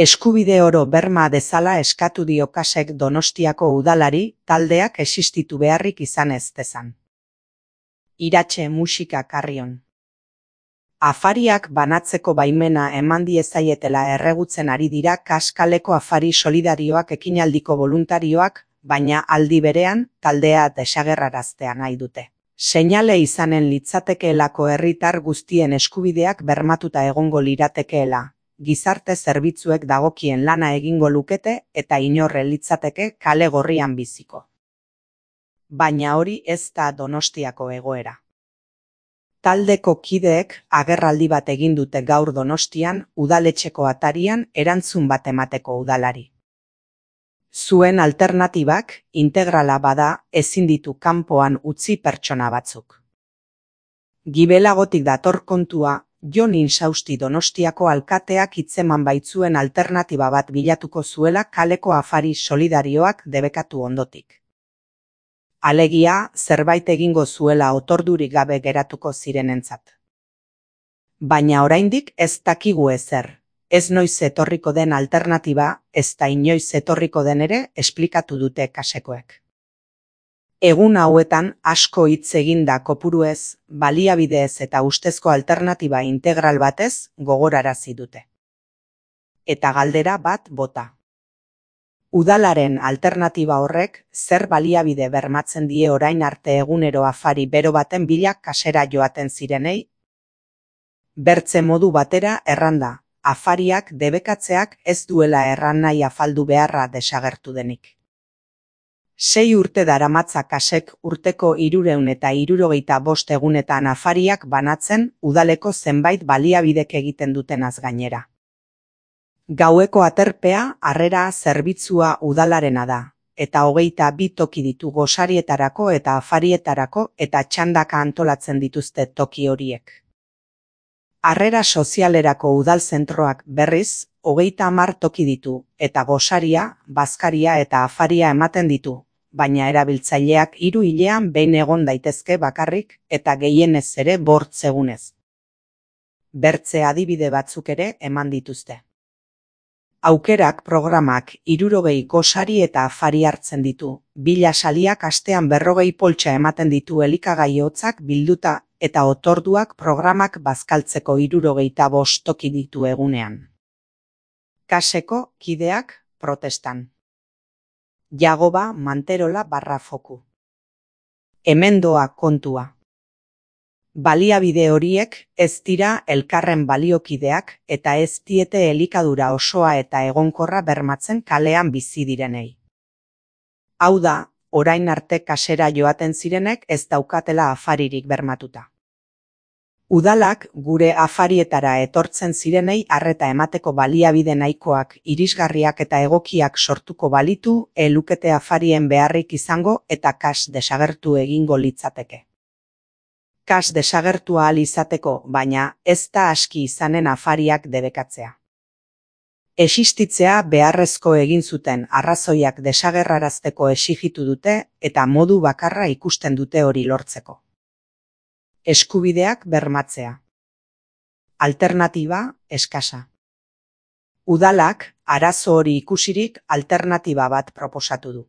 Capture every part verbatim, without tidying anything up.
Eskubide oro berma dezala eskatu dio Kasek Donostiako udalari taldeak existitu beharrik izan ez dezan. Iratxe musika Karrion. Afariak banatzeko baimena eman diezaietela erregutzen ari dira Kas kaleko afari solidarioak ekinaldiko voluntarioak, baina aldi berean taldea desagerraraztea nahi dute. Seinale izanen litzatekeelako herritar guztien eskubideak bermatuta egongo liratekeela, gizarte zerbitzuek dagokien lana egingo lukete eta inorre litzateke kale gorrian biziko. Baina hori ez da Donostiako egoera. Taldeko kideek agerraldi bat egin dute gaur Donostian udaletxeko atarian erantzun bat emateko udalari. Zuen alternatibak integrala bada ezin ditu kanpoan utzi pertsona batzuk. Gibelagotik dator kontua, Jon Insausti Donostiako alkateak hitzeman baitzuen alternatiba bat bilatuko zuela kaleko afari solidarioak debekatu ondotik. Alegia, zerbait egingo zuela otordurik gabe geratuko zirenentzat. Baina oraindik ez dakigu ezer, ez noiz etorriko den alternatiba, ez da inoiz etorriko den ere esplikatu dute Kasekoek. Egun hauetan asko hitz eginda kopuruez, baliabideez eta ustezko alternatiba integral batez gogorarazi dute. Eta galdera bat bota. Udalaren alternatiba horrek zer baliabide bermatzen die orain arte egunero afari bero baten bila kasera joaten zirenei? Bertze modu batera erranda, afariak debekatzeak ez duela erran nahi afaldu beharra desagertu denik. Sei urte daramatza Kasek urteko hirureun eta hirurogeita bost egunetan afariak banatzen udaleko zenbait baliabidek egiten dutenaz gainera. Gaueko aterpea harrera zerbitzua udalarena da, eta hogeita bi toki ditu gosarietarako eta afarietarako eta txandaka antolatzen dituzte toki horiek. Harrera sozialerako udalzentroak berriz, hogeita hamar toki ditu, eta gosaria, bazkaria eta afaria ematen ditu, baina erabiltzaileak hiru hilean behin egon daitezke bakarrik eta gehienez ere bortz egunez. Bertze adibide batzuk ere eman dituzte. Aukerak programak hirurogei gosari eta afari hartzen ditu, bila saliak astean berrogei poltsa ematen ditu elikagai hotzak bilduta eta otorduak programak bazkaltzeko hirurogeita bost toki ditu egunean. Kaseko kideak protestan. Jagoba Manterola barra foku. Hemen doa kontua. Baliabide horiek ez dira elkarren baliokideak eta ez diete elikadura osoa eta egonkorra bermatzen kalean bizi direnei. Hau da, orain arte kasera joaten zirenek ez daukatela afaririk bermatuta. Udalak gure afarietara etortzen zirenei arreta emateko baliabide nahikoak irisgarriak eta egokiak sortuko balitu, elukete afarien beharrik izango eta Kas desagertu egingo litzateke. Kas desagertu ahal izateko, baina ez da aski izanen afariak debekatzea. Existitzea beharrezko egin zuten arrazoiak desagerrarazteko exigitu dute eta modu bakarra ikusten dute hori lortzeko. Eskubideak bermatzea. Alternatiba eskasa. Udalak arazo hori ikusirik alternatiba bat proposatu du.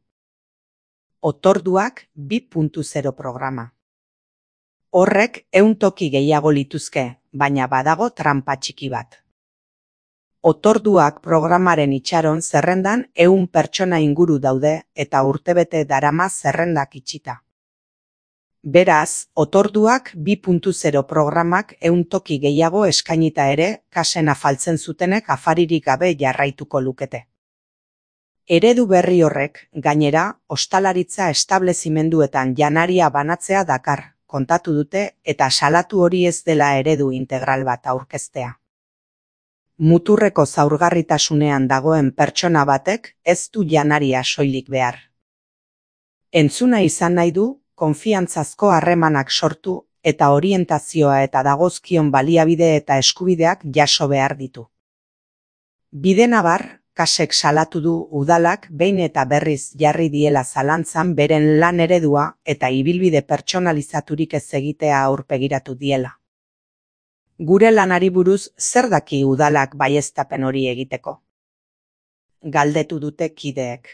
Otorduak bi puntu zero programa. Horrek ehun toki gehiago lituzke, baina badago tranpa txiki bat. Otorduak programaren itxaron zerrendan ehun pertsona inguru daude eta urtebete darama zerrendak itxita. Beraz, otorduak bi puntu zero programak ehun toki gehiago eskainita ere Kasen afaltzen zutenek afaririk gabe jarraituko lukete. Eredu berri horrek, gainera, ostalaritza establezimenduetan janaria banatzea dakar, kontatu dute eta salatu hori ez dela eredu integral bat aurkeztea. Muturreko zaurgarritasunean dagoen pertsona batek ez du janaria soilik behar. Entzuna izan nahi du, konfiantzazko harremanak sortu eta orientazioa eta dagozkion baliabide eta eskubideak jaso behar ditu. Bidenabar, Kasek salatu du udalak behin eta berriz jarri diela zalantzan beren lan eredua eta ibilbide pertsonalizaturik ez egitea aurpegiratu diela. Gure lanari buruz zer daki udalak baieztapen hori egiteko? galdetu dute kideek.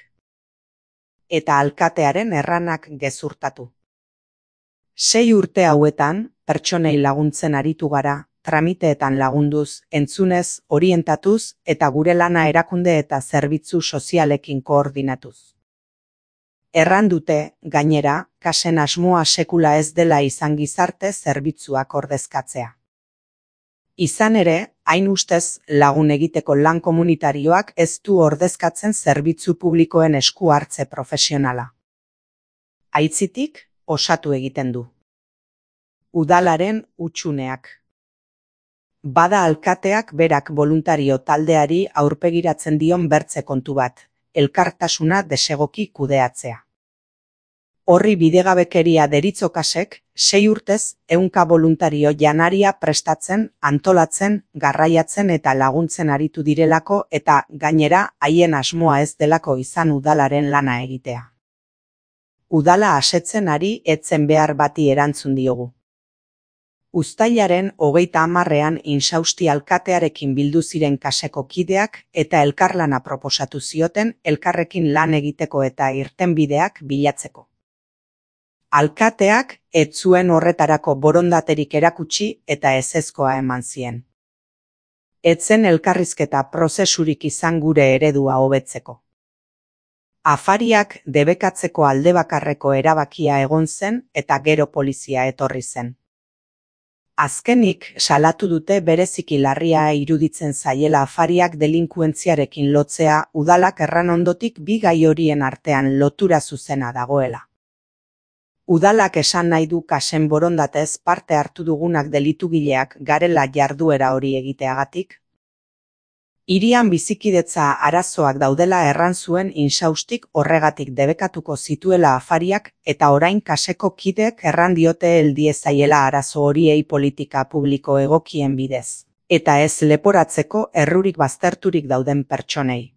Eta alkatearen erranak gezurtatu. Sei urte hauetan, pertsonei laguntzen aritu gara, tramiteetan lagunduz, entzunez, orientatuz, eta gure lana erakunde eta zerbitzu sozialekin koordinatuz. Erran dute, gainera, kasen asmoa sekula ez dela izan gizarte zerbitzuak ordezkatzea. Izan ere, hain ustez lagun egiteko lan komunitarioak ez du ordezkatzen zerbitzu publikoen esku hartze profesionala. Aitzitik, osatu egiten du. Udalaren hutsuneak. Bada alkateak berak boluntario taldeari aurpegiratzen dion bertze kontu bat, elkartasuna desegoki kudeatzea. Horri bidegabekeria deritzo kasek, sei urtez, ehunka boluntario janaria prestatzen, antolatzen, garraiatzen eta laguntzen aritu direlako eta, gainera, haien asmoa ez delako izan udalaren lana egitea. Udala asetzen ari etzen behar bati erantzun diogu. Uztailaren hogeita hamarrean Insausti alkatearekin bildu ziren kaseko kideak eta elkarlana proposatu zioten elkarrekin lan egiteko eta irtenbideak bilatzeko. Alkateak ez zuen horretarako borondaterik erakutsi eta ezezkoa eman zien. Ez zen elkarrizketa prozesurik izan gure eredua hobetzeko. Afariak debekatzeko aldebakarreko erabakia egon zen eta gero polizia etorri zen. Azkenik, salatu dute bereziki larria iruditzen zaiela afariak delinkuentziarekin lotzea udalak erran ondotik bi gai horien artean lotura zuzena dagoela. Udalak esan nahi du kasen borondatez parte hartu dugunak delitugileak garela jarduera hori egiteagatik. Hirian bizikidetza arazoak daudela erran zuen Insaustik horregatik debekatuko zituela afariak eta orain kaseko kideek erran diote heldiezaiela arazo horiei politika publiko egokien bidez, eta ez leporatzeko errurik bazterturik dauden pertsonei.